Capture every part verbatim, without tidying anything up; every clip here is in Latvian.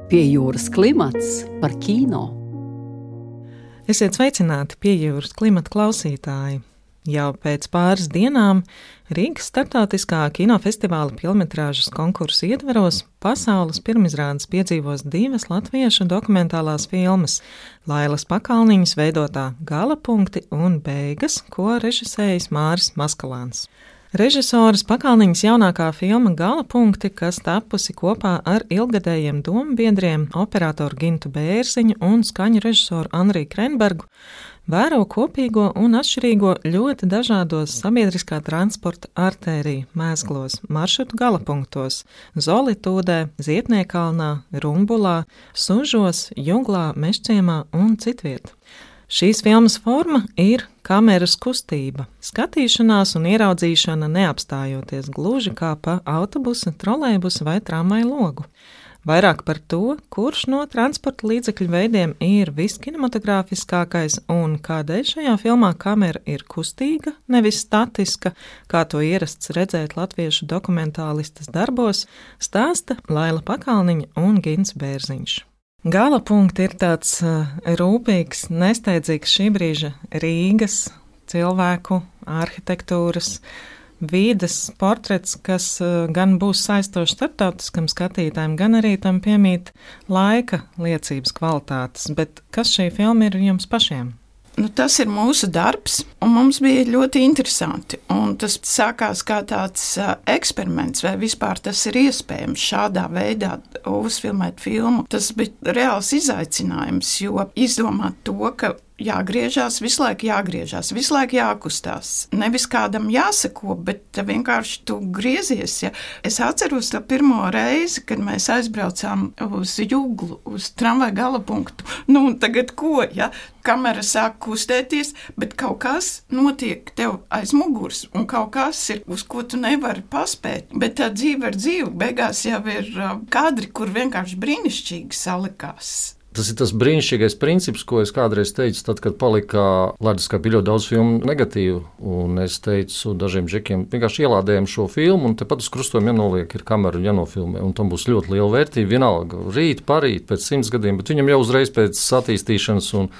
Pie jūras klimats par kino. Esiet sveicināti pie jūras klimata klausītāji. Jau pēc pāris dienām Rīgas starptautiskā kinofestivāla filmetrāžas konkursa ietveros pasaules pirmizrādes piedzīvos divas latviešu dokumentālās filmas – Lailas Pakalniņas veidotā Gala punkti un Beigas, ko režisējis Māris Maskalāns. Režisoras Pakalniņas jaunākā filma Gala punkti, kas tapusi kopā ar ilgadējiem dombiedriem operatoru Gintu Bērziņu un skaņu režisoru Anriju Krenbergu, vēro kopīgo un atšķirīgo ļoti dažādos sabiedriskā transporta artēriju mēzglos, maršrutu galapunktos – Zolitūdē, Zietniekalnā, Rumbulā, Sužos, Juglā, Mežciemā un citviet. Šīs filmas forma ir kameras kustība, skatīšanās un ieraudzīšana neapstājoties gluži kā pa autobusa, trolejbusa vai tramvaja logu. Vairāk par to, kurš no transporta līdzekļu veidiem ir viskinematogrāfiskākais un kādēļ šajā filmā kamera ir kustīga, nevis statiska, kā to ierasts redzēt latviešu dokumentālistas darbos, stāsta Laila Pakalniņa un Gints Bērziņš. Gala punkti ir tāds uh, rūpīgs, nesteidzīgs šī brīža Rīgas, cilvēku, arhitektūras, vīdes portrets, kas uh, gan būs saistošs starptautiskam skatītājiem, gan arī tam piemīt laika liecības kvalitātes. Bet kas šī filma ir jums pašiem? Nu, tas ir mūsu darbs, un mums bija ļoti interesanti. Un tas sākās kā tāds uh, eksperiments, vai vispār tas ir iespējams šādā veidā uzfilmēt filmu. Tas bija reāls izaicinājums, jo izdomāt to, ka jāgriežās, visu laiku jāgriežās, visu laiku jākustās. Nevis kādam jāsako, bet vienkārši tu griezies. Ja? Es atceros to pirmo reizi, kad mēs aizbraucām uz Juglu, uz tramvaja galapunktu. Nu, tagad ko, ja? Kamera sāk kustēties, bet kaut kas notiek tev aiz muguras, un kaut kas ir, uz ko tu nevari paspēt. Bet tā dzīve ir dzīve, beigās jau ir kadri, kur vienkārši brīnišķīgi salikās. Tas ir tas brīnišķīgais princips, ko es kādreiz teicu, tad, kad palika leduskapī ļoti daudz filmu negatīvu. Un es teicu dažiem džekiem, vienkārši ielādējam šo filmu, un tepat uz krustojuma jānoliek ir kamera un jānofilmē. Un tam būs ļoti liela vērtība. Vienalga, rīt, parīt, pēc simts gadiem, bet viņam jau uzreiz pēc attīstīšanas un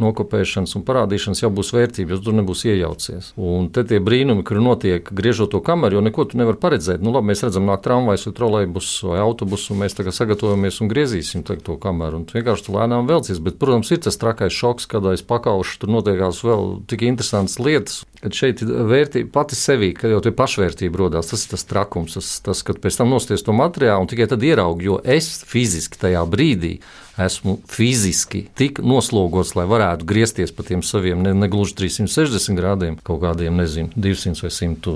nokopēšanas un parādīšanas jau būs vērtība, jo tur nebūs iejaucies. Un te tie brīnumi, kur notiek griežot to kameru, jo neko tu nevar paredzēt. Nu labi, mēs redzam nāk tramvajs vai trolejbus vai autobusu, un mēs tagad sagatavojamies un griezīsim to kameru. Un vienkārši tu lēnām velcies, bet, protams, ir tas trakais šoks, kad aiz pakauša tur notiekās vēl tik interesantas lietas, kad šeit ir vērtība pati sevī, kad jau tie pašvērtība rodās. Tas ir tas trakums, tas, tas kad pēc tam nosties to materiālu un tikai tad ieraugi, jo es fiziski tajā brīdī esmu fiziski tik noslogots, lai varētu griezties pa tiem saviem ne, ne gluži trīssimt sešdesmit grādiem, kaut kādiem, nezinu, divsimt vai simt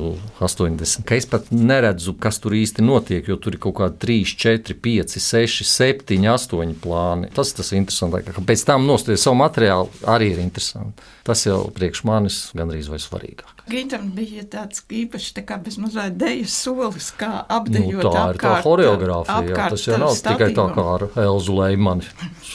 astoņdesmit. Ka es pat neredzu, kas tur īsti notiek, jo tur ir kaut kādi trīs, četri, pieci, seši, septiņi, astoņi plāni. Tas ir tas interesantākais, ka pēc tam nosties savu materiālu arī ir interesanti. Tas jau priekš manis gandrīz vai svarīgāk. Gintam bija tāds īpaši tā kā bez mazliet dejas solis, kā apdejot nu, tā apkārt. Ir tā horeogrāfija, jā. Tas jau nav statīvam. Tikai tā kā ar Elzu Leimani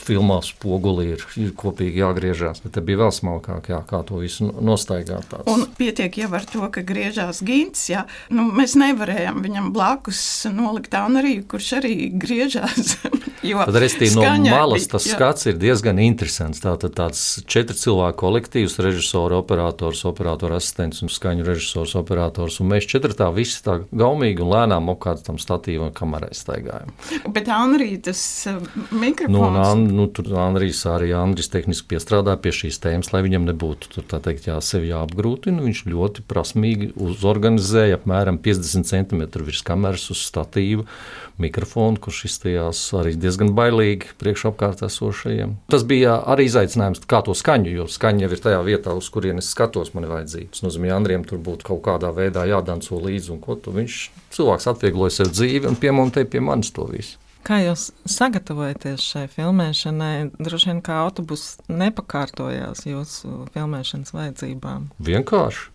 filmās spoguli ir, ir kopīgi jāgriežās, bet te bija vēl smalkāk, jā, kā to visu nostaigāt. Tāds. Un pietiek jau ar to, ka griežās Gints, jā. Nu, mēs nevarējām viņam blakus nolikt Anriju, kurš arī griežās. Jo tad restī no malas tas jā. Skats ir diezgan interesants. Tātad tāds četri cilvēku kolektīvs, režisori, operators, operatora asistents un skaņu režisors, operators, un mēs četratā visi tā gaumīgi un lēnām apkārt tam statīvu un kamerai staigājam. Bet Anrija tas uh, mikrofons... Nu, un An, nu, tur Andrijs arī Andrijs tehniski piestrādā pie šīs tēmas, lai viņam nebūtu tur, tā teikt, jā, sevi jāapgrūtina. Viņš ļoti prasmīgi uzorganizēja apmēram piecdesmit centimetru virs kameras uz statīvu mikrofonu, kurš izstījās arī diezgan bailīgi priekš apkārt esošajiem. Tas bija arī izaicinājums, kā to skaņu, jo skaņa jau ir tajā vietā, uz kurien es skatos, man ir vajadzīga. Tas nozīmē, Andrijam tur būtu kaut kādā veidā jādanco līdzi, un ko tu viņš cilvēks atviegloja sev dzīvi un piemontēja pie manis to visu. Kā jūs sagatavojaties šai filmēšanai? Droši vien kā autobus nepakārtojās jūsu filmēšanas vajadzībām? Vienkārši.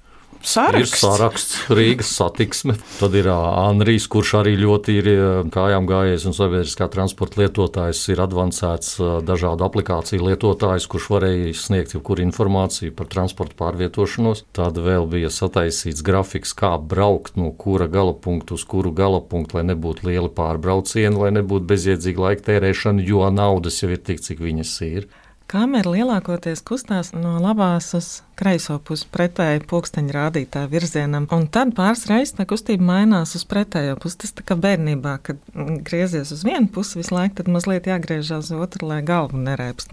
saraksts. Ir saraksts, Rīgas satiksme. Tad ir Andrijs, kurš arī ļoti ir kājām gājējis un sabiedriskā transporta lietotājs, ir advancēts dažādu aplikāciju lietotājs, kurš varēja sniegt jebkuru informāciju par transporta pārvietošanos. Tad vēl bija sataisīts grafiks, kā braukt no kura galapunktu uz kuru galapunktu, lai nebūtu lieli pārbraucieni, lai nebūtu bezjēdzīga laika tērēšana, jo naudas jau ir tik, cik viņas ir. Kamera lielākoties kustās no labās uz kreiso pusi pretēji pulksteņa rādītāja virzienam, un tad pāris reizes tā kustība mainās uz pretējo pusi. Tas tā kā bērnībā, kad griezies uz vienu pusi visu laiku, tad mazliet jāgriežās uz otru, lai galvu nerēpst.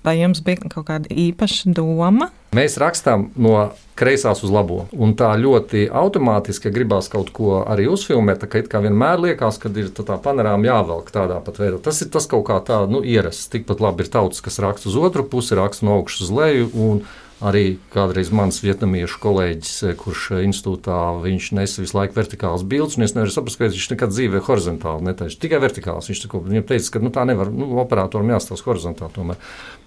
Vai jums bija kaut kāda īpaša doma? Mēs rakstām no kreisās uz labo, un tā ļoti automātiski gribās kaut ko arī uzfilmēt, tā kā it kā vienmēr liekas, kad ir tā, tā panorāma jāvelk tādā pat veidā. Tas ir tas kaut kā tā, nu, ierasts. Tikpat labi ir tautas, kas raksta uz otru pusi, raksta no augšas uz leju, un arī kādreiz mans vietnamiešu kolēģis, kurš institūtā, viņš nesa visu laiku vertikālas bildes, un es nevaru saprast, ka viņš nekad dzīvē horizontāli netaisa, tikai vertikāls. Viņš tako, viņam teica, ka nu, tā nevar, nu, operatoram jāstāsta horizontāli tomēr.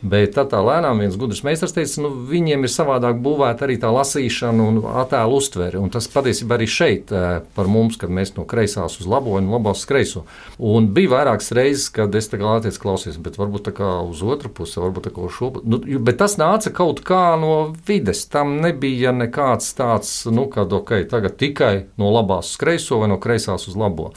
Bet tad tā lēnām viens gudrs meistars teica, nu, viņiem ir savādāk būvēta arī tā lasīšana un attēlu uztvere, un tas patiesībā arī šeit par mums, kad mēs no kreisās uz labo un labās uz kreiso. Un bija vairākas reizes, kad es tā kā lāties klausies, bet varbūt tā kā uz otru pusi, varbūt tā kā uz šo, nu, bet tas nāca kaut kā no vides. Tam nebija nekāds tāds, nu, kad ok, tagad tikai no labās uz kreiso vai no kreisās uz labo.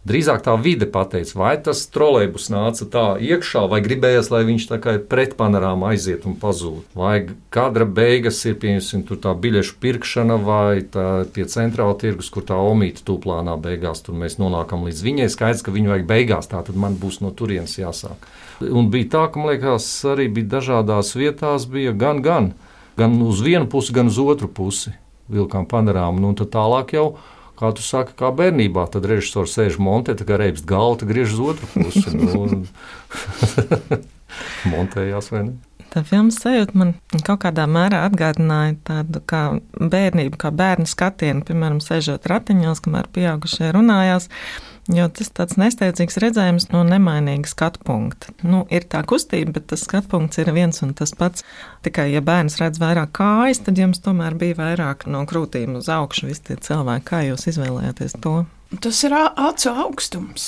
Drīzāk tā vide pateica, vai tas trolejbus nāca tā iekšā, vai gribējās, lai viņš tā kā pret panorāmu aiziet un pazūd. Vai kadra beigas ir, piemēram, tur tā biļešu pirkšana, vai tā pie centrāla tirgus, kur tā omīta tūplānā beigās, tur mēs nonākam līdz viņai. Skaidrs, ka viņu vajag beigās, tā tad man būs no turienes jāsāk. Un bija tā, ka, man liekas, arī bija dažādās vietās, bija gan, gan, gan uz vienu pusi, gan uz otru pusi vilkām panorāmu, nu, un tad tālāk jau, kā tu saki, kā bērnībā, tad režisors sēž montē, tā kā reibst galvu, tad griež uz otru pusi. Nu, montējās, vai ne? Tā filmas sajūta man kaut kādā mērā atgādināja tādu kā bērnību, kā bērnu skatienu, piemēram, sēžot ratiņos, kamēr pieaugušie runājās, jo tas tāds nesteidzīgs redzējums no nemainīga skatu punkta. Nu, ir tā kustība, bet tas skatu punkts ir viens un tas pats. Tikai, ja bērns redz vairāk kājas, tad jums tomēr bija vairāk no krūtīm uz augšu visi tie cilvēki. Kā jūs izvēlējāties to? Tas ir acu augstums.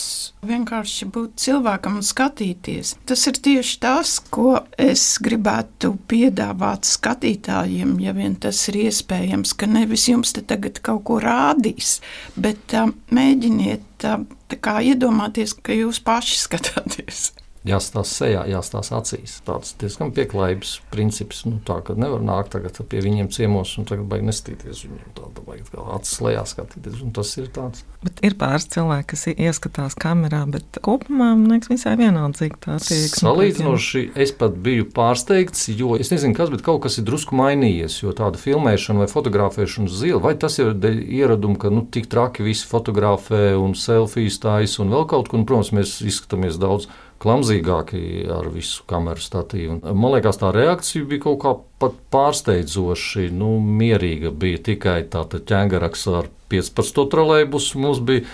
Vienkārši būt cilvēkam un skatīties. Tas ir tieši tas, ko es gribētu piedāvāt skatītājiem, ja vien tas ir iespējams, ka nevis jums te tagad kaut ko rādīs, bet uh, mēģiniet uh, tā kā iedomāties, ka jūs paši skatāties. Jāstās sejā, jāstās acīs. Tāds diezgan pieklājības princips, nu tā, ka nevar nākt tagad pie viņiem ciemos un tagad baigi nestīties viņiem, tāda baigi kā acis lejā skatīties, un tas ir tāds. Bet ir pāris cilvēki, kas ieskatās kamerā, bet kopumā, man liekas, visai vienaldzīgi tā attieksme. Salīdzinoši es pat biju pārsteigts, jo es nezinu kas, bet kaut kas ir drusku mainījies, jo tāda filmēšana vai fotografēšana uz zila, vai tas ir ieradumi, ka nu tik traki visi fotografē un selfijas tais un vēl kaut ko, un, protams, mēs izskatāmies daudz klamzīgāki ar visu kameru statīvu. Man liekas, tā reakcija bija kaut kā pat pārsteidzoši, nu, mierīga. Bija tikai tāda ķēngaraks ar piecpadsmito trolejbusu. Mums bija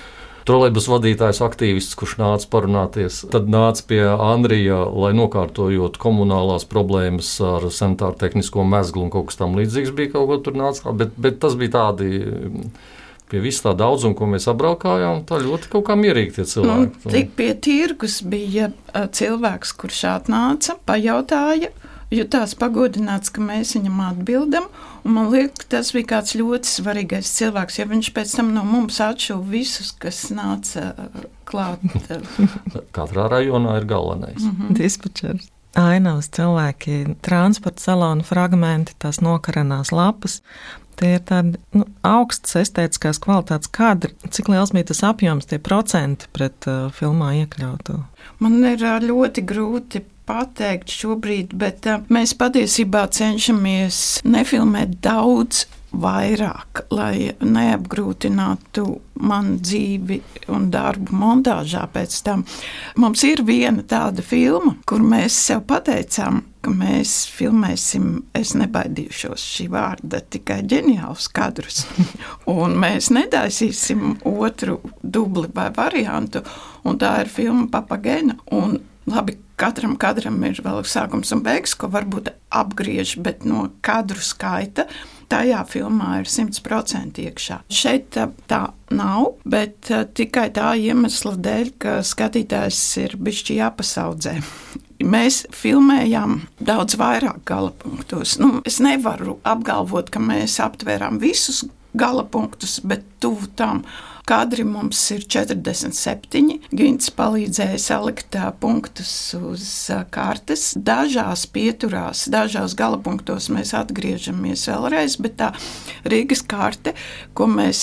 trolejbus vadītājs aktīvists, kurš nāca parunāties. Tad nāca pie Andrija, lai nokārtojot komunālās problēmas ar sanitāru tehnisko mezglu un kaut kas tam līdzīgs bija kaut ko tur nāca. Bet, bet tas bija tādi... Pie visu tā daudzuma, ko mēs apbraukājām, tā ļoti kaut kā mierīgi tie cilvēki. Nu, tik pie tirgus bija cilvēks, kurš atnāca, pajautāja, jutās pagodināts, ka mēs viņam atbildam, un man liekas, tas bija kāds ļoti svarīgais cilvēks, ja viņš pēc tam no mums atšuva visus, kas nāca klāt. Katrā rajonā ir galvenais. Mm-hmm. Dispečers. Ainavas cilvēki, transporta salona fragmenti, tās nokaranās lapas. Tie ir tādi nu, augstas estētiskās kvalitātes kadri. Cik liels bija tas apjoms, tie procenti pret uh, filmā iekļauto? Man ir uh, ļoti grūti pateikt šobrīd, bet uh, mēs patiesībā cenšamies nefilmēt daudz vairāk, lai neapgrūtinātu man dzīvi un darbu montāžā pēc tam. Mums ir viena tāda filma, kur mēs sev pateicām, ka mēs filmēsim, es nebaidīšos šī vārda, tikai ģeniālus kadrus. Un mēs netaisīsim otru dubli vai variantu, un tā ir filma Papagena. Un labi, katram kadram ir vēl sākums un beigas, ko varbūt apgriež, bet no kadru skaita tajā filmā ir simt procenti iekšā. Šeit tā, tā nav, bet uh, tikai tā iemesla dēļ, ka skatītājs ir bišķi jāpasaudzē. Mēs filmējām daudz vairāk galapunktos. Nu, es nevaru apgalvot, ka mēs aptvērām visus galapunktus, bet tuvu tam kadri mums ir četrdesmit septiņi. Gints palīdzēja salikt punktus uz kartes. Dažās pieturās, dažās galapunktos mēs atgriežamies vēlreiz, bet tā Rīgas karte, ko mēs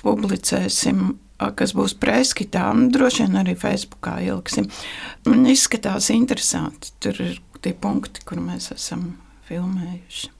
publicēsim, kas būs preskitā, un droši vien arī Facebookā ieliksim. Man izskatās interesanti. Tur ir tie punkti, kur mēs esam filmējuši.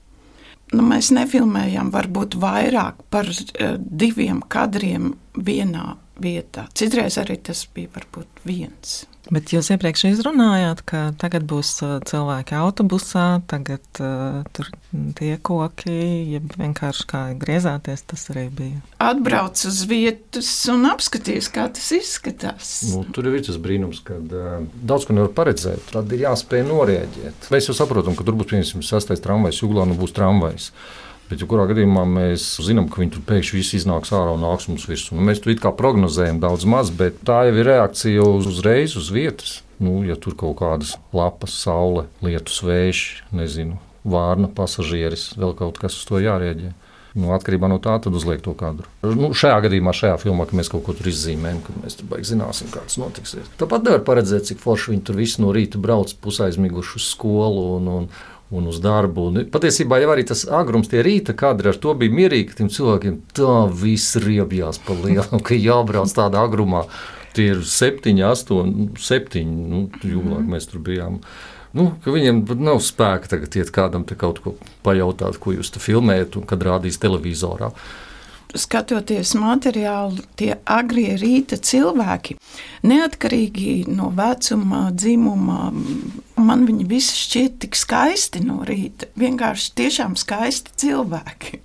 Nu, mēs nefilmējām varbūt vairāk par diviem kadriem vienā vietā. Citreiz arī tas bija varbūt viens. Bet jūs iepriekš izrunājāt, ka tagad būs cilvēki autobusā, tagad uh, tur tie koki, ja vienkārši kā griezāties, tas arī bija. Atbrauc uz vietas un apskaties, kā tas izskatās. Nu, tur ir tas brīnums, kad uh, daudz ko nevar paredzēt. Tad ir jāspēj norēģēt. Mēs jau saprotam, ka tur būs piemēram sastais tramvajs, Juglā nu būs tramvajs. Bet, ja kurā gadījumā mēs zinām, ka viņi tur pēkšņi viss iznāks ārā un nāks mums virsū. Nu, mēs tur it kā prognozējam daudz maz, bet tā jau ir reakcija uz, uzreiz uz vietas. Nu, ja tur kaut kādas lapas, saule, lietus, vējš, nezinu, vārna, pasažieris, vēl kaut kas uz to jārēģē. Nu, atkarībā no tā, tad uzliek to kadru. Nu, šajā gadījumā, šajā filmā, ka mēs kaut ko tur izzīmējam, kad mēs tur baigi zināsim, kā tas notiksies. Tāpat nevar paredzēt, cik forši viņi tur visi no rīta brauc pusaizmiguši uz skolu un, un un uz darbu. Un patiesībā jau arī tas agrums, tie rīta kadri, ar to bija mierīgi, ka tiem cilvēkiem tā viss riebjās pa lielu, ka jābrauc tādā agrumā. Tie ir septiņi, astoņi, septiņi, nu, Juglā mēs tur bijām. Nu, ka viņiem nav spēka tagad iet kādam te kaut ko pajautāt, ko jūs te filmējat un kad rādīs televizorā. Skatoties materiālu, tie agrie rīta cilvēki, neatkarīgi no vecuma, dzimuma, man viņi visi šķiet tik skaisti no rīta. Vienkārši tiešām skaisti cilvēki.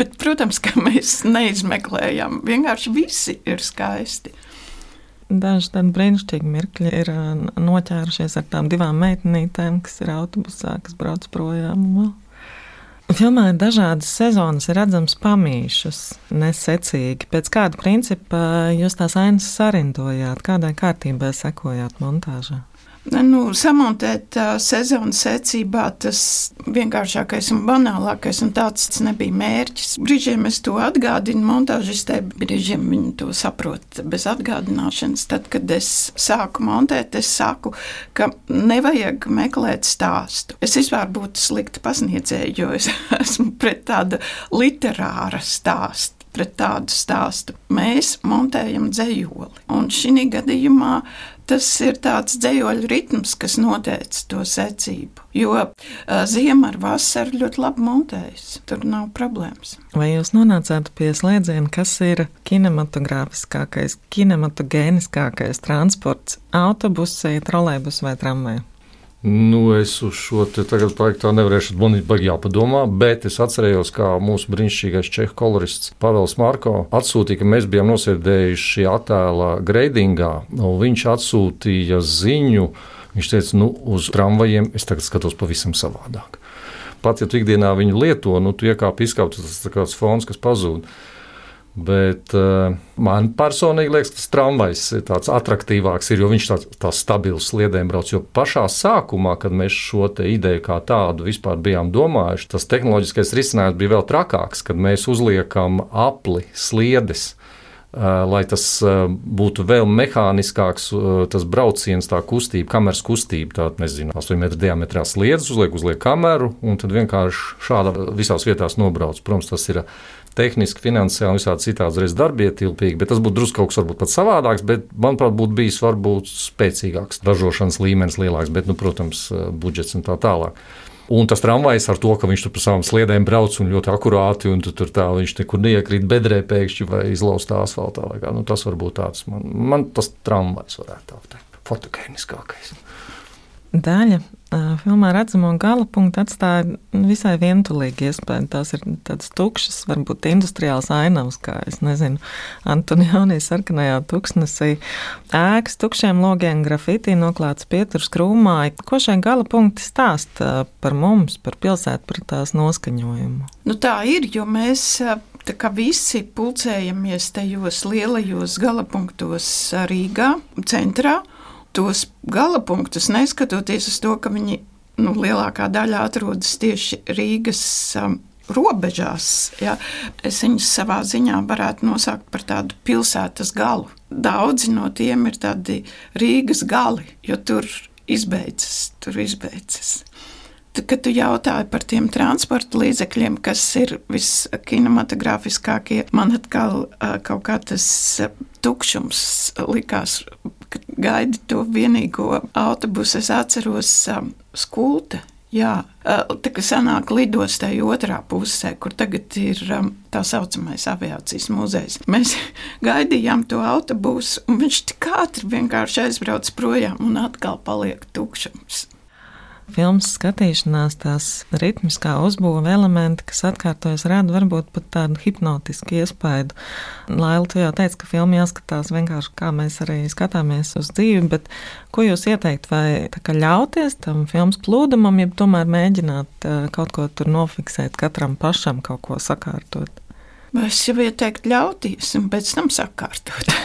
Bet, protams, ka mēs neizmeklējam. Vienkārši visi ir skaisti. Daži tādi brīnišķīgi mirkļi ir noķērušies ar tām divām meitenītēm, kas ir autobusā, kas brauc projām. Filmā ir dažādas sezonas, ir redzams pamīšus, nesecīgi. Pēc kāda principa jūs tās ainas sarindojāt, kādai kārtībai sekojāt montāžā? Nu, samontēt uh, sezonas secībā tas vienkāršākais un banālākais, un tāds nebija mērķis. Brīžiem es to atgādinu montāžistē, brīžiem viņi to saprot bez atgādināšanas. Tad, kad es sāku montēt, es saku, ka nevajag meklēt stāstu. Es vispār būtu slikti pasniedzēju, jo es esmu pret tādu literāra stāstu. Pret tādu stāstu. Mēs montējam dzejoli, un šī gadījumā tas ir tāds dzejoļu ritms, kas noteica to secību, jo uh, ziema ar vasaru ļoti labi montējas, tur nav problēmas. Vai jūs nonācāt pie slēdziena, kas ir kinematogrāfiskākais, kinematogēniskākais transports – autobusi, trolejbus vai tramvaja? Nu, es uz šo te tagad paik tā nevarēšu, man ir baigi jāpadomā, bet es atcerējos, kā mūsu brīnišķīgais čehu kolorists Pavels Marko atsūtīja, ka mēs bijām nosēdējuši attēla greidingā, un viņš atsūtīja ziņu, viņš teica, nu, uz tramvajiem es tagad skatos pavisam savādāk. Pat, ja tu ikdienā viņu lieto, nu, tu iekāp izkāp, tas ir kāds fons, kas pazūd. Bet uh, man personīgi liekas, ka tas tramvajs ir tāds atraktīvāks, ir, jo viņš tāds, tāds stabils sliedēm brauc. Jo pašā sākumā, kad mēs šo te ideju kā tādu vispār bijām domājuši, tas tehnoloģiskais risinājums bija vēl trakāks, kad mēs uzliekam apli sliedes, uh, lai tas uh, būtu vēl mehāniskāks, uh, tas brauciens, tā kustība, kameras kustība, tā, nezinu, astoņu metru diametrā sliedes, uzliek, uzliek kameru un tad vienkārši šādā visās vietās nobrauc. Protams, tas ir tehniski, finansiāli un visādi citādi reiz darbietilpīgi, bet tas būtu drusku kaut kas varbūt pat savādāks, bet, manuprāt, būtu bijis varbūt spēcīgāks, ražošanas līmenis lielāks, bet, nu, protams, budžets un tā tālāk. Un tas tramvajs ar to, ka viņš tur pa savām sliedēm brauc un ļoti akurāti, un tur tā viņš nekur neiekrīt bedrē pēkšņi vai izlaustā asfaltā, vai kā, nu, tas varbūt tāds, man, man tas tramvajs varētu tā teikt, fotogēniskākais. daļa filmā redzamo gala punktu atstāja visai vientulīgi iespēju. Tās ir tādas tukšas, varbūt industriāls ainavas, kā, es nezinu, Antonioni sarkanajā tuksnesī. Ēkas tukšiem logiem, grafitī noklāts pieturs krūmāji. Ko šai gala punkti stāsta par mums, par pilsētu, par tās noskaņojumu? Nu tā ir, jo mēs tā kā visi pulcējamies tajos lielajos galapunktos Rīgā, centrā. Tos galapunktus, neskatoties uz to, ka viņi nu, lielākā daļa atrodas tieši Rīgas um, robežās, ja, es viņus savā ziņā varētu nosaukt par tādu pilsētas galu. Daudzi no tiem ir tādi Rīgas gali, jo tur izbeidzas, tur izbeidzas. Tad, kad tu jautāji par tiem transporta līdzekļiem, kas ir viskinematogrāfiskākie, man atkal uh, kaut kā tas uh, tukšums likās, kad gaidi to vienīgo autobusu. Es atceros um, Skulte, jā, uh, tā kā sanāk lidostai otrā pusē, kur tagad ir um, tā saucamais aviācijas muzejs. Mēs gaidījām to autobusu, un viņš tik ātri vienkārši aizbrauc projām, un atkal paliek tukšums. Filmas skatīšanās, tās ritmiskā uzbūve elementi, kas atkārtojas, rada varbūt pat tādu hipnotisku iespaidu. Laila, tu jau teici, ka filma jāskatās vienkārši kā mēs arī skatāmies uz dzīvi, bet ko jūs ieteikt, vai tā kā ļauties tam filmas plūdumam, ja tomēr mēģināt kaut ko tur nofiksēt, katram pašam kaut ko sakārtot? Es jau ieteiktu ļauties un pēc tam sakārtot.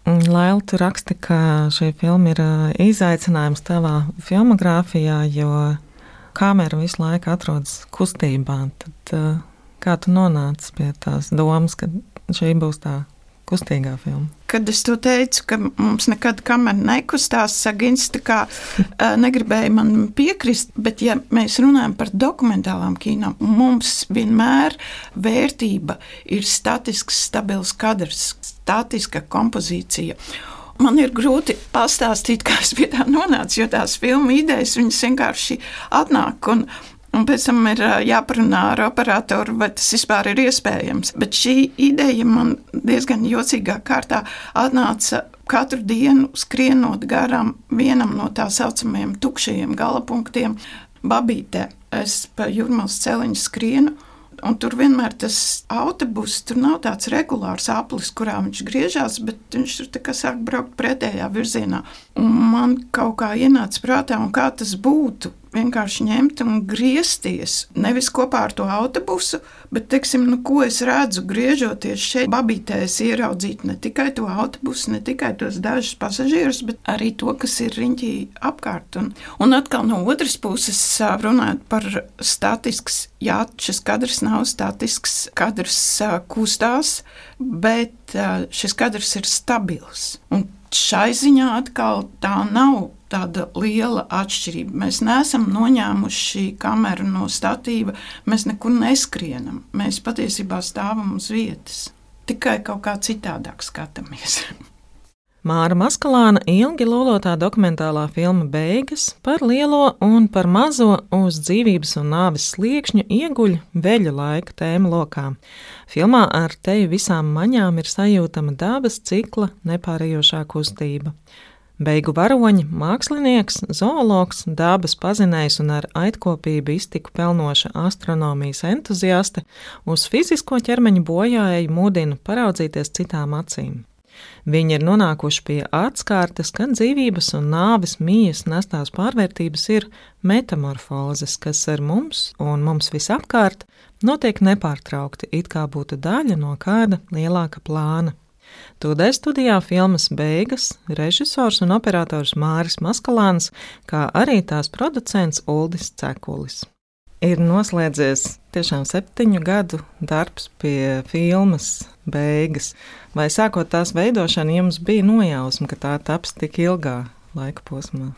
Laila, tu raksti, ka šī filma ir izaicinājums tavā filmogrāfijā, jo kamera visu laiku atrodas kustībā. Tad kā tu nonāci pie tās domas, ka šī būs tā kustīgā filma? Kad es to teicu, ka mums nekad kamera nekustās, Sagins tā kā negribēja man piekrist, bet ja mēs runājam par dokumentālām kino, mums vienmēr vērtība ir statisks, stabils kadrs, statiska kompozīcija. Man ir grūti pastāstīt, kā es pie tā nonācu, jo tās filmu idejas, viņas vienkārši atnāk un Un pēc tam ir jāparunā ar operatoru, vai tas vispār ir iespējams. Bet šī ideja man diezgan jocīgā kārtā atnāca katru dienu skrienot garām vienam no tā saucamajiem tukšajiem galapunktiem Babītē. Es pa Jūrmalas celiņu skrienu, un tur vienmēr tas autobus, tur nav tāds regulārs aplis, kurā viņš griežās, bet viņš tur tā kā sāk braukt pretējā virzienā. Un man kaut kā ienāca prātā, un kā tas būtu, vienkārši ņemt un griezties, nevis kopā ar to autobusu, bet, teiksim, nu, ko es redzu, griežoties šeit Babītē, es ieraudzīt ne tikai to autobusu, ne tikai tos dažus pasažierus, bet arī to, kas ir riņķī apkārt. Un, un atkal no otras puses runājot par statisks, jā, šis kadrs nav statisks, kadrs kustās, bet šis kadrs ir stabils. Un šai ziņā atkal tā nav tāda liela atšķirība. Mēs neesam noņēmuši kameru no statīva, mēs nekur neskrienam. Mēs patiesībā stāvam uz vietas. Tikai kaut kā citādāk skatāmies. Māra Maskalāna ilgi lolotā dokumentālā filma Beigas par lielo un par mazo uz dzīvības un nāves sliekšņu ieguļ veļu laika tēma lokā. Filmā ar teju visām maņām ir sajūtama dabas cikla nepārējošā kustība. Beigu varoņi, mākslinieks, zoologs, dabas pazinējs un ar aitkopību iztiku pelnoša astronomijas entuziaste uz fizisko ķermeņa bojāēju mudina paraudzīties citām acīm. Viņi ir nonākuši pie atskārtas, ka dzīvības un nāves mijas nestās pārvērtības ir metamorfozes, kas ar mums un mums visapkārt notiek nepārtraukti, it kā būtu daļa no kāda lielāka plāna. Tūdēļ studijā filmas Beigas režisors un operators Māris Maskalāns, kā arī tās producents Uldis Cekulis. Ir noslēdzies tiešām septiņu gadu darbs pie filmas Beigas. Vai sākot tās veidošanu jums bija nojausma, ka tā taps tik ilgā laika posmā?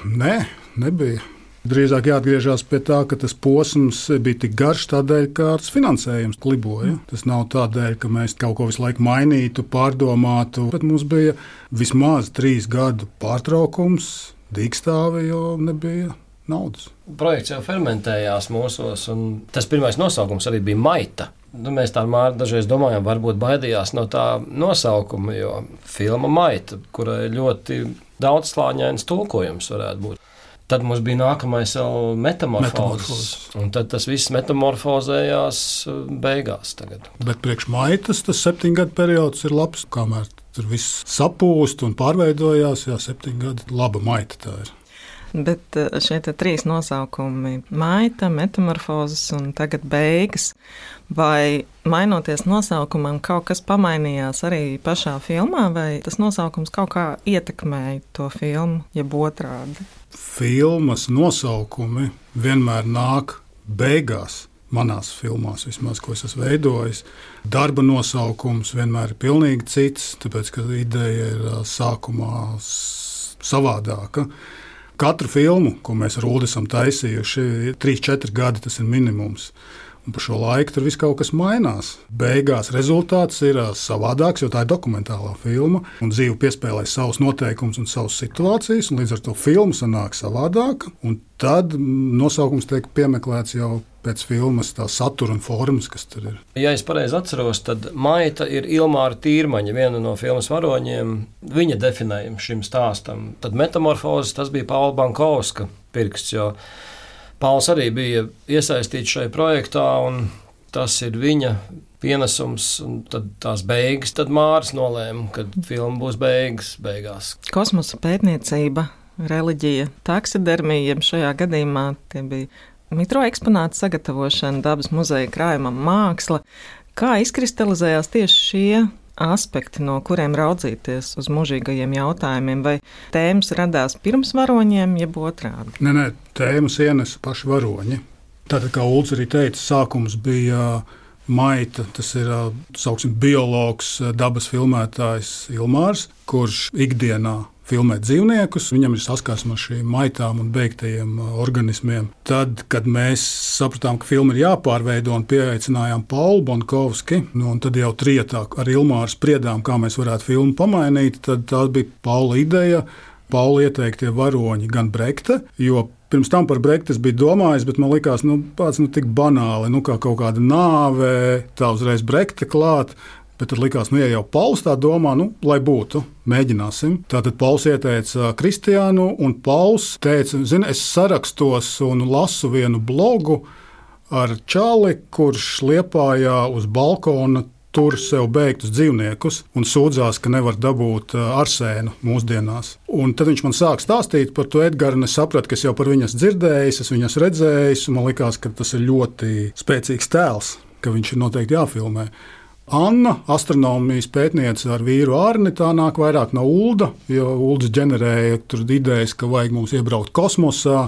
Nē, nebija. Drīzāk jāatgriežas pie tā, ka tas posms bija tik garš tādēļ, ka tas finansējums kliboja. Tas nav tādēļ, ka mēs kaut ko visu laiku mainītu, pārdomātu, bet mums bija vismaz trīs gadu pārtraukums, dīkstāve, jo nebija naudas. Projekts jau fermentējās mūsos, un tas pirmais nosaukums arī bija Maita. Nu, mēs tā Māri dažreiz domājam, varbūt baidījās no tā nosaukuma, jo filma Maita, kurai ļoti daudzslāņains tulkojums varētu būt. Tad mums bija nākamais jau metamorfozes. Un tad tas viss metamorfozējās beigās tagad. Bet priekš Maitas tas septiņgadu periods ir labs, kamēr tur viss sapūst un pārveidojās. Jā, septiņi gadi laba Maita tā ir. Bet šie trīs nosaukumi - Maita, metamorfozes un tagad beigas. Vai mainoties nosaukumam, kaut kas pamainījās arī pašā filmā, vai tas nosaukums kaut kā ietekmēja to filmu, jeb otrādi? Filmas nosaukumi vienmēr nāk beigās. Manās filmās, vismaz, ko es esmu veidojis, darba nosaukums vienmēr ir pilnīgi cits, tāpēc, ka ideja ir sākumā savādāka. Katru filmu, ko mēs ar Uldi esam taisījuši, trīs, četri gadi tas ir minimums. Un pa šo laiku tur viss kaut kas mainās. Beigās rezultāts ir savādāks, jo tā ir dokumentālā filma. Un dzīve piespēlē savus noteikumus un savas situācijas, un līdz ar to filma sanāk savādāka. Un tad nosaukums tiek piemeklēts jau pēc filmas tā satura un formas, kas tur ir. Ja es pareizi atceros, tad Maita ir Ilmāra Tīrmaņa, viena no filmas varoņiem. Viņa definējuma šim stāstam. Tad metamorfozes tas bija Paula Bankovska pirksts, jo Pauls arī bija iesaistīts šajā projektā, un tas ir viņa pienesums. Tad tās beigas, tad Māris nolēma, ka filma būs beigas, beigās. Kosmosa pētniecība, reliģija, taksidermija, šajā gadījumā tie bija mikroeksponātu sagatavošana, dabas muzeja krājumam, māksla. Kā izkristalizējās tieši šie aspekti, no kuriem raudzīties uz mūžīgajiem jautājumiem, vai tēmas radās pirms varoņiem, jeb otrādi? Nē, nē, tēmas ienesa paši varoņi. Tātad, kā Ulds arī teica, sākums bija Maita, tas ir, sauksim, biologs, dabas filmētājs Ilmārs, kurš ikdienā filmēt dzīvniekus, viņam ir saskarsme ar šīm maitām un beigtajiem organismiem. Tad, kad mēs sapratām, ka filma ir jāpārveido un pieaicinājām Paulu Bankovski, nu, un tad jau trietā ar Ilmāru spriedām, kā mēs varētu filmu pamainīt, tad tā bija Paula ideja, Paula ieteiktie varoņi gan Brekte, jo pirms tam par Brekti es biju domājis, bet man likās, nu, pats nu tik banāli, nu, kā kaut kāda nāve, tā uzreiz Brekte klāt. Bet tad likās, nu, ja jau Pauls tā domā, nu, lai būtu, mēģināsim. Tātad Pauls ieteica Kristiānu, un Pauls teica, zini, es sarakstos un lasu vienu blogu ar čali, kurš Liepājā uz balkona tur sev beigtus dzīvniekus un sūdzās, ka nevar dabūt arsēnu mūsdienās. Un tad viņš man sāk stāstīt par to Edgaru, un es sapratu, ka es jau par viņas dzirdējis, es viņas redzējis, un man likās, ka tas ir ļoti spēcīgs tēls, ka viņš ir noteikti jāfilmē. Anna, astronomijas pētniece ar vīru Arni, tā nāk vairāk no Ulda, jo Ulds ģenerēja tur idejas, ka vajag mums iebraukt kosmosā,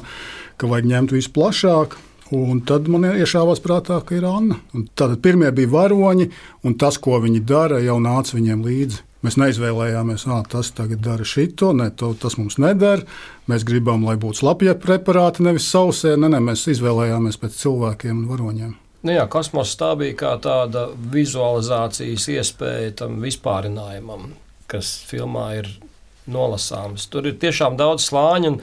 ka vajag ņemt visu plašāk. Un tad man iešāvās prātā, ka ir Anna. Un tātad pirmie bija varoņi, un tas, ko viņi dara, jau nāca viņiem līdzi. Mēs neizvēlējāmies, ka tas tagad dara šito, ne, to, tas mums neder. Mēs gribam, lai būtu slapja preparāti, nevis sausē. Ne, ne, mēs izvēlējāmies pēc cilvēkiem un varoņiem. Nu jā, kosmoss tā bija kā tāda vizualizācijas iespēja tam vispārinājumam, kas filmā ir nolasāms. Tur ir tiešām daudz slāņu, un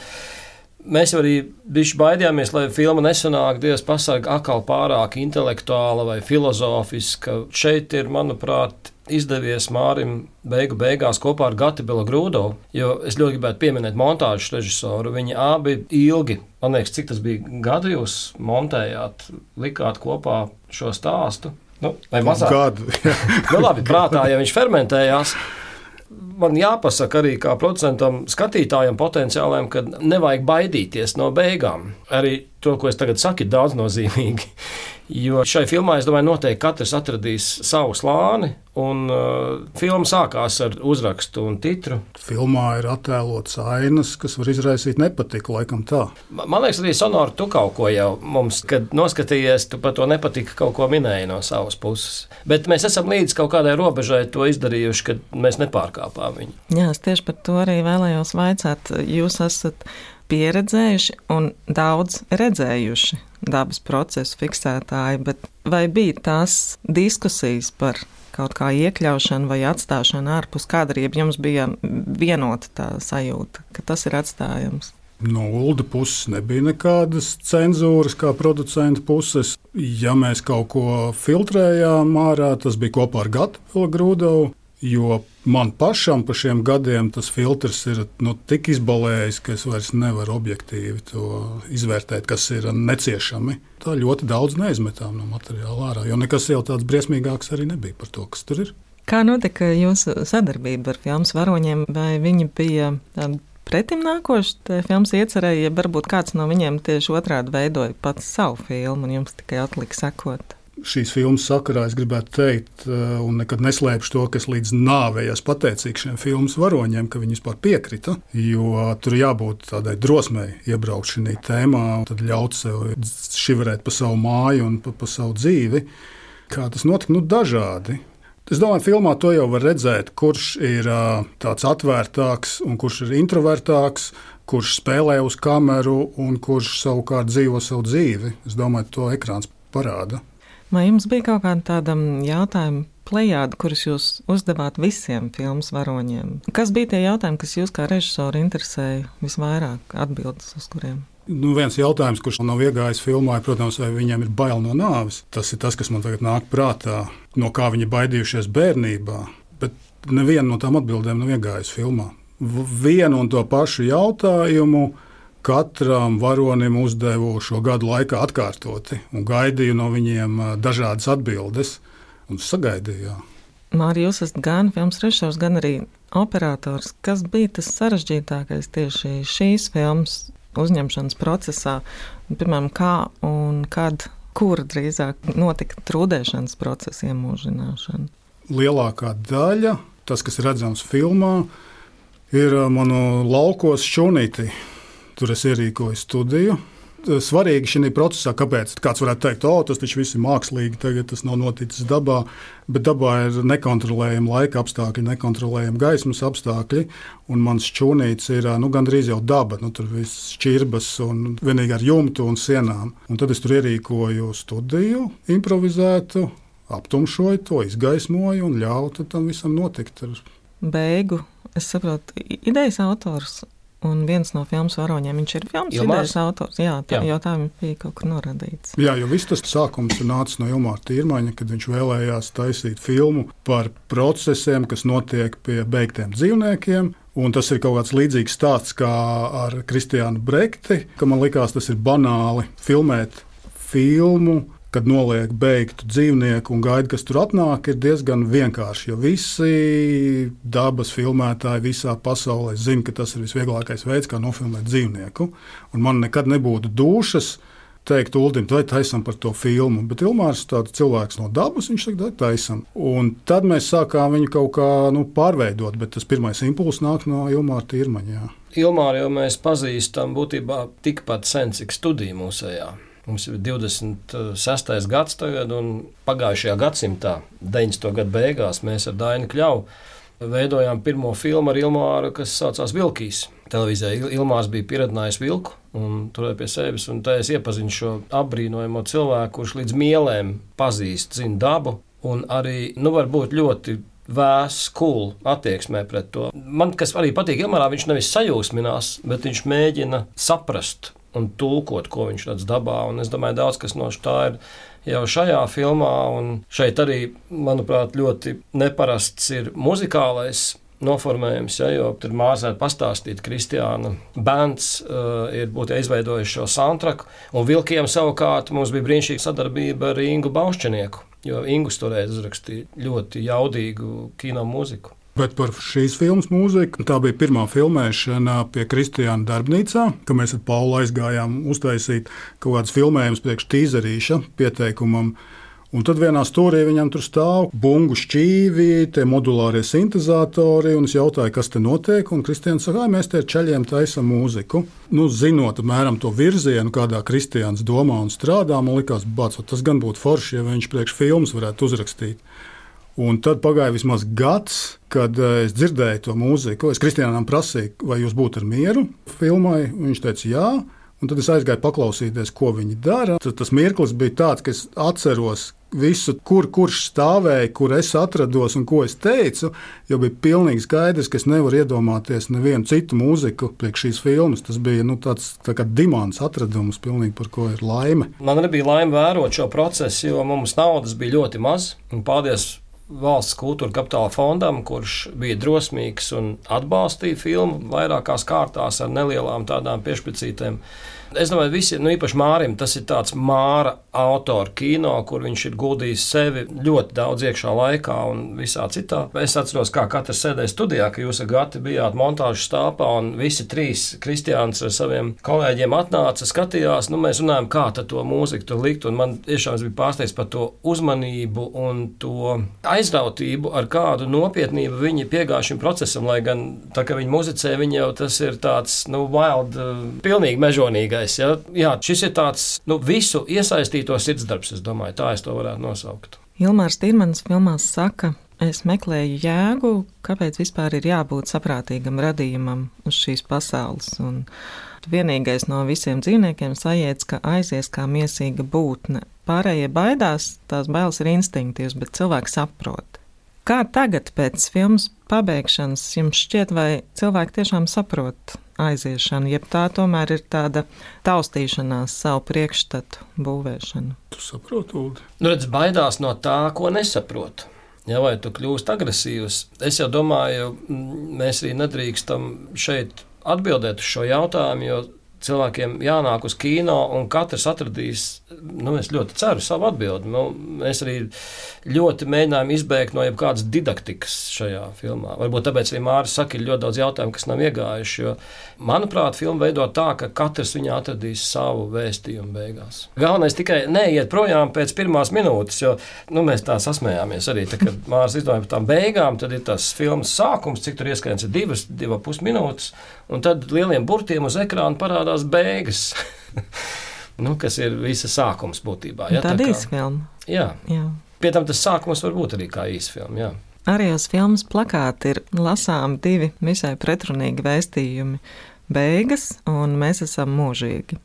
mēs arī bišķi baidījāmies, lai filma nesanāk, Dievs pasargā, atkal pārāk intelektuāla vai filozofiska. Šeit ir, manuprāt, izdevies Mārim beigu beigās kopā ar Gati Belogrūdovu, jo es ļoti gribētu pieminēt montāžas režisoru. Viņi abi ilgi, man liekas, cik tas bija gadu jūs montējāt, likāt kopā šo stāstu? Nu, vai mazāk? Gadu. Nu labi, prātā, ja viņš fermentējās. Man jāpasaka arī kā producentam, skatītājam potenciālajam, ka nevajag baidīties no beigām. Arī to, ko es tagad saku, ir daudznozīmīgi. Jo šai filmā, es domāju, noteikti katrs atradīs savu slāni, un uh, filma sākās ar uzrakstu un titru. Filmā ir attēlots ainas, kas var izraisīt nepatiku, laikam tā. Man liekas, arī Sonora, tu kaut ko jau mums, kad noskatījies, tu par to nepatika kaut ko minēji no savas puses. Bet mēs esam līdz kaut kādai robežai to izdarījuši, kad mēs nepārkāpām viņu. Jā, es tieši par to arī vēlējos vaicāt. Jūs esat pieredzējuši un daudz redzējuši dabas procesu fiksētāji, bet vai bija tās diskusijas par kaut kā iekļaušanu vai atstāšanu ārpus kadra, ja jums bija vienota tā sajūta, ka tas ir atstājams? No Ulda puses nebija nekādas cenzūras, kā producenta puses. Ja mēs kaut ko filtrējām ārā, tas bija kopā ar Gatu Belogrūdovu, jo Man pašam pa šiem gadiem tas filtrs ir nu, tik izbalējis, ka es vairs nevaru objektīvi to izvērtēt, kas ir neciešami. Tā ļoti daudz neizmetām no materiāla ārā, jo nekas jau tāds briesmīgāks arī nebija par to, kas tur ir. Kā notika jūsu sadarbība ar filmas varoņiem? Vai viņi bija tādi pretimnākoši filmas iecerēja, ja varbūt kāds no viņiem tieši otrādi veidoja pats savu filmu un jums tikai atlika sekot? Šīs filmas sakarā es gribētu teikt, un nekad neslēpšu to, ka es līdz nāvei esmu pateicīgs šiem filmas varoņiem, ka viņi vispār piekrita, jo tur jābūt tādai drosmei iebraukt šī tēmā, un tad ļaut sev šiverēt pa savu māju un pa, pa savu dzīvi. Kā tas notika? Nu, dažādi. Es domāju, filmā to jau var redzēt, kurš ir tāds atvērtāks un kurš ir introvertāks, kurš spēlē uz kameru un kurš savukārt dzīvo savu dzīvi. Es domāju, to ekrāns parāda. Vai jums bija kaut kāda tāda jautājuma plejāda, kurus jūs uzdevāt visiem filmas varoņiem? Kas bija tie jautājumi, kas jūs kā režisori interesēja visvairāk, atbildes uz kuriem? Nu, viens jautājums, kurš nav iegājis filmā, ir, protams, vai viņiem ir bail no nāves. Tas ir tas, kas man tagad nāk prātā, no kā viņi baidījušies bērnībā. Bet neviena no tām atbildēm nav iegājis filmā. Vienu un to pašu jautājumu katram varonim uzdevu šo gadu laikā atkārtoti un gaidīju no viņiem dažādas atbildes un sagaidīju. Māri, jūs esat gan filmas režisors, gan arī operators. Kas bija tas sarežģītākais tieši šīs filmas uzņemšanas procesā? Piemēram, kā un kad, kur drīzāk notika trūdēšanas procesa iemūžināšana? Lielākā daļa, tas, kas redzams filmā, ir manu laukos šķūnīti. Tur es ierīkoju studiju. Svarīgi šī procesā, kāpēc kāds varētu teikt, o, tas taču viss ir mākslīgi, tagad tas nav noticis dabā, bet dabā ir nekontrolējami laika apstākļi, nekontrolējami gaismas apstākļi, un mans šķūnītis ir nu, gandrīz jau daba, nu, tur viss šķirbas un vienīgi ar jumtu un sienām. Un tad es tur ierīkoju studiju, improvizētu, aptumšoju to, izgaismoju un ļautu tam visam notikt. Beigu, es saprotu, idejas autors. Un viens no filmas varoņiem, viņš ir filmas idejas autors. Jā, tā, jā. Jau tā bija kaut kur norādīts. Jā, jo viss tas sākums ir nācis no Ilmāra Tīrmaņa, kad viņš vēlējās taisīt filmu par procesiem, kas notiek pie beigtiem dzīvniekiem. Un tas ir kaut kāds līdzīgs stāsts kā ar Kristiānu Brekti, ka man likās, tas ir banāli filmēt filmu, kad noliek beigtu dzīvnieku un gaida, kas tur atnāk, ir diezgan vienkārši. Jo visi dabas filmētāji visā pasaulē zina, ka tas ir visvieglākais veids, kā nofilmēt dzīvnieku. Un man nekad nebūtu dušas teikt Uldim, vai taisam par to filmu. Bet Ilmārs ir tāds cilvēks no dabas, viņš saka, vai taisam. Un tad mēs sākām viņu kaut kā nu, pārveidot, bet tas pirmais impulss nāk no Ilmāra Tīrmaņa. Ilmāru jau mēs pazīstam būtībā tikpat sen, cik studija mūsējā. Mums ir divdesmit sestais gads tagad, un pagājušajā gadsimtā, deviņdesmito gadu beigās, mēs ar Dainu Kļavu veidojām pirmo filmu ar Ilmāru, kas saucās Vilkīs. Televīzijā Ilmārs bija pieredzinājis vilku un turēja pie sevis, un tā es iepazinu šo apbrīnojamo cilvēku, kurš līdz mielēm pazīst, zina dabu, un arī, nu, var būt ļoti vēss, cool attieksmē pret to. Man, kas arī patīk Ilmārā, viņš nevis sajūsminās, bet viņš mēģina saprast un tulkot, ko viņš redz dabā, un es domāju, daudz kas no tā ir jau šajā filmā, un šeit arī, manuprāt, ļoti neparasts ir muzikālais noformējums, ja, jo tur mārsēt pastāstīt, Kristiāna bērns uh, ir būtu izveidojuši šo soundtracku, un Vilkiem savukārt mums bija brīnišķīga sadarbība ar Ingu Baušķenieku, jo Ingus toreiz uzrakstīja ļoti jaudīgu kino mūziku. Bet par šīs filmas mūziku, tā bija pirmā filmēšana pie Kristiāna darbnīcā, ka mēs ar Paulu aizgājām uztaisīt kaut kādas filmējumus priekš tīzerīša pieteikumam. Un tad vienā stūrī viņam tur stāv bungu šķīvi, tie modulārie sintezatori, un es jautāju, kas te notiek, un Kristiāns saka, mēs te ar čaļiem taisam mūziku. Nu, zinot apmēram to virzienu, kādā Kristiāns domā un strādā, man likās, bāc, tas gan būtu forši, ja viņš priekš filmas varētu uzrakstīt. Un tad pagāja vismaz gads, kad es dzirdēju to mūziku. Es Kristiānam prasīju, vai jūs būtu ar mieru filmai. Viņš teica, jā. Un tad es aizgāju paklausīties, ko viņi dara. Tad tas mirklis bija tāds, ka es atceros visu, kur kurš stāvēja, kur es atrados un ko es teicu. Jo bija pilnīgi skaidrs, ka es nevaru iedomāties nevienu citu mūziku priekš šīs filmas. Tas bija nu, tāds tā kā dimants atradums, pilnīgi par ko ir laime. Man nebija laime vērot šo procesu, jo mums naudas bija ļoti maz. Un paldies Valsts kultūra kapitāla fondam, kurš bija drosmīgs un atbalstīja filmu vairākās kārtās ar nelielām tādām piešpicītēm. Es domāju, visi, nu īpaši Mārim, tas ir tāds Māra autora kino, kur viņš ir guldījis sevi ļoti daudz iekšā laikā un visā citā. Es atceros, kā katrs sēdēja studijā, ka jūs ar Gati bijāt montāžas stāpā un visi trīs Kristiāns ar saviem kolēģiem atnāca, skatījās, nu mēs runājam, kā tad to mūziku tur likt, un man tiešām bija pārsteigts par to uzmanību un to aizrautību, ar kādu nopietnību viņi piegāja šim procesam, lai gan tā, ka viņi muzicē, viņi jau tas ir tāds, nu, wild, pilnīgi mežonīgais. Ja? Jā, šis ir tāds, nu, visu iesaistīto sirdsdarbs, es domāju, tā es to varētu nosaukt. Ilmārs Tirmanis filmās saka, es meklēju jēgu, kāpēc vispār ir jābūt saprātīgam radījumam uz šīs pasaules, un vienīgais no visiem dzīvniekiem sajiedz, ka aizies kā miesīga būtne. Pārējie baidās, tās bailes ir instinktīvas, bet cilvēks saprot. Kā tagad pēc filmas pabeigšanas jums šķiet, vai cilvēki tiešām saprot aiziešanu, jeb tā tomēr ir tāda taustīšanās savu priekšstatu būvēšana? Tu saproti, Uldi? Nu, redz, baidās no tā, ko nesaprot. Ja, vai tu kļūst agresīvs? Es jau domāju, mēs arī nedrīkstam šeit atbildēt uz šo jautājumu, jo cilvēkiem jānāk uz kino, un katrs atradīs, nu, es ļoti ceru, savu atbildi. Nu, mēs arī ļoti mēģinājām izbēgt no jebkādas didaktikas šajā filmā. Varbūt tāpēc arī Māris saka, ir ļoti daudz jautājumu, kas nav iegājuši, jo, manuprāt, filma veido tā, ka katrs viņā atradīs savu vēstījumu beigās. Galvenais tikai neiet projām pēc pirmās minūtes, jo, nu, mēs tā sasmējāmies arī, tā, kad Māris izdomāja par tām beigām, tad ir tas filmas sākums, cik tur ieskaņas ir divas, divas pus minūtes, un tad lieliem burtiem uz ekrāna parādās beigas, nu, kas ir visa sākums būtībā. Ja, tā tā īsa filma. Jā. Jā. Pie tam tas sākums var būt arī kā īsa filma, jā. Arī uz filmas plakāta ir lasām divi visai pretrunīgi vēstījumi – beigas un mēs esam mūžīgi.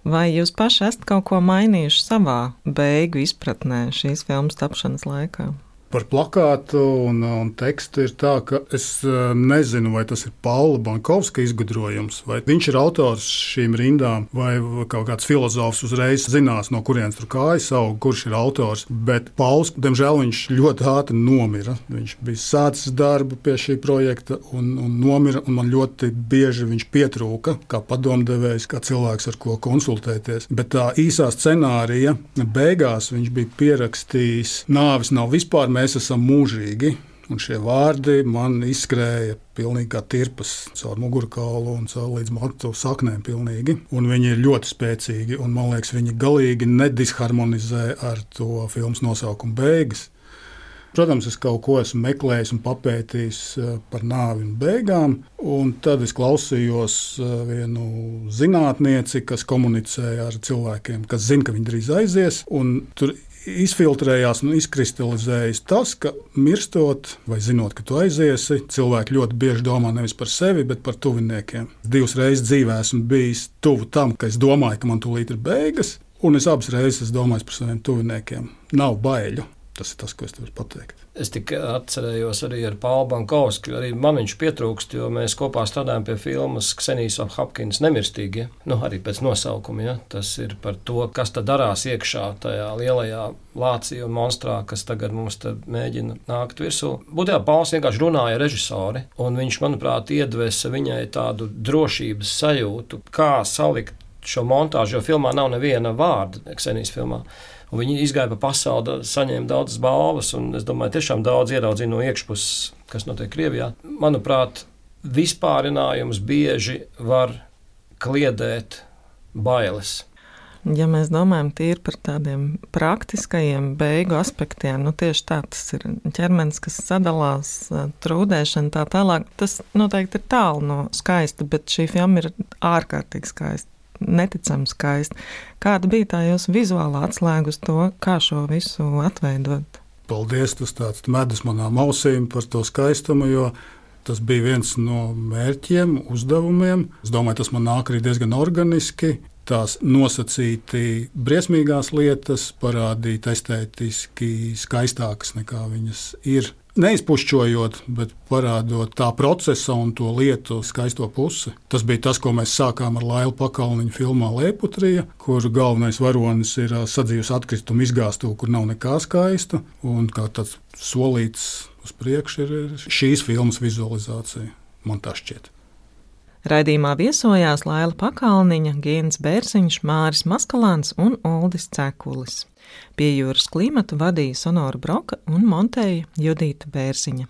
Vai jūs paši esat kaut ko mainījuši savā beigu izpratnē šīs filmas tapšanas laikā? Par plakātu un, un tekstu ir tā, ka es nezinu, vai tas ir Paula Bankovska izgudrojums, vai viņš ir autors šīm rindām, vai kaut kāds filozofs uzreiz zinās, no kurienes tur kājas aug, kurš ir autors. Bet Pauls, diemžēl, viņš ļoti ātri nomira. Viņš bija sācis darbu pie šī projekta un, un nomira, un man ļoti bieži viņš pietrūka, kā padomdevējs, kā cilvēks, ar ko konsultēties. Bet tā īsā scenārija beigās viņš bija pierakstījis, nāvis nav vispār, mēs esam mūžīgi, un šie vārdi man izskrēja pilnīgi kā tirpas caur mugurkaulu un caur līdz matu saknēm pilnīgi, un viņi ir ļoti spēcīgi, un man liekas, viņi galīgi nedisharmonizē ar to filmas nosaukumu beigas. Protams, es kaut ko esmu meklējis un papētījis par nāvi un beigām, un tad es klausījos vienu zinātnieci, kas komunicēja ar cilvēkiem, kas zina, ka viņi drīz aizies, un tur izfiltrējās un izkristalizējas tas, ka mirstot vai zinot, ka tu aiziesi, cilvēki ļoti bieži domā nevis par sevi, bet par tuviniekiem. Divas reizes dzīvē esmu bijis tuvu tam, ka es domāju, ka man tūlīt ir beigas, un es abas reizes domāju par saviem tuviniekiem. Nav baiļu. Tas ir tas, ko es tev varu pateikt. Es tikai atcerējos arī ar Paulu Bankovsku, arī man viņš pietrūkst, jo mēs kopā strādājam pie filmas Ksenijas Hopkins Nemirstīgi, nu arī pēc nosaukuma, ja? Tas ir par to, kas tad darās iekšā tajā lielajā lācī un monstrā, kas tagad mums tad mēģina nākt virsū. Būtībā Pauls vienkārši runāja ar režisori, un viņš, manuprāt, iedvesa viņai tādu drošības sajūtu, kā salikt šo montāžu, jo filmā nav neviena vārda, Ksenijas filmā. Un viņi izgāja pa pasauli, saņēma daudzas balvas, un es domāju, tiešām daudz ieraudzīja no iekšpuses, kas notiek Krievijā. Manuprāt, vispārinājums bieži var kliedēt bailes. Ja mēs domājam tīri par tādiem praktiskajiem beigu aspektiem, nu tieši tā, tas ir ķermenis, kas sadalās, trūdēšana tā tālāk, tas noteikti ir tālu no skaista, bet šī filma ir ārkārtīgi skaista. Neticami skaisti. Kāda bija tā jūsu vizuālā atslēga uz to, kā šo visu atveidot? Paldies, tas tāds medus manām ausīm par to skaistumu, jo tas bija viens no mērķiem, uzdevumiem. Es domāju, tas man nāk arī diezgan organiski. Tās nosacīti briesmīgās lietas parādīt estētiski skaistākas nekā viņas ir. neizpušķojot, bet parādot tā procesa un to lietu skaisto pusi. Tas bija tas, ko mēs sākām ar Lailu Pakalniņu filmā Lēputrija, kur galvenais varonis ir sadzīves atkritumu izgāstuve, kur nav nekā skaista, un kā tāds solīts uz priekšu ir šīs filmas vizualizācija, man tā šķiet. Raidījumā viesojās Laila Pakalniņa, Gins Bērziņš, Māris Maskalāns un Uldis Cekulis. Pie jūras klimatu vadīja Sonora Broka un montēja Judīta Bērziņa.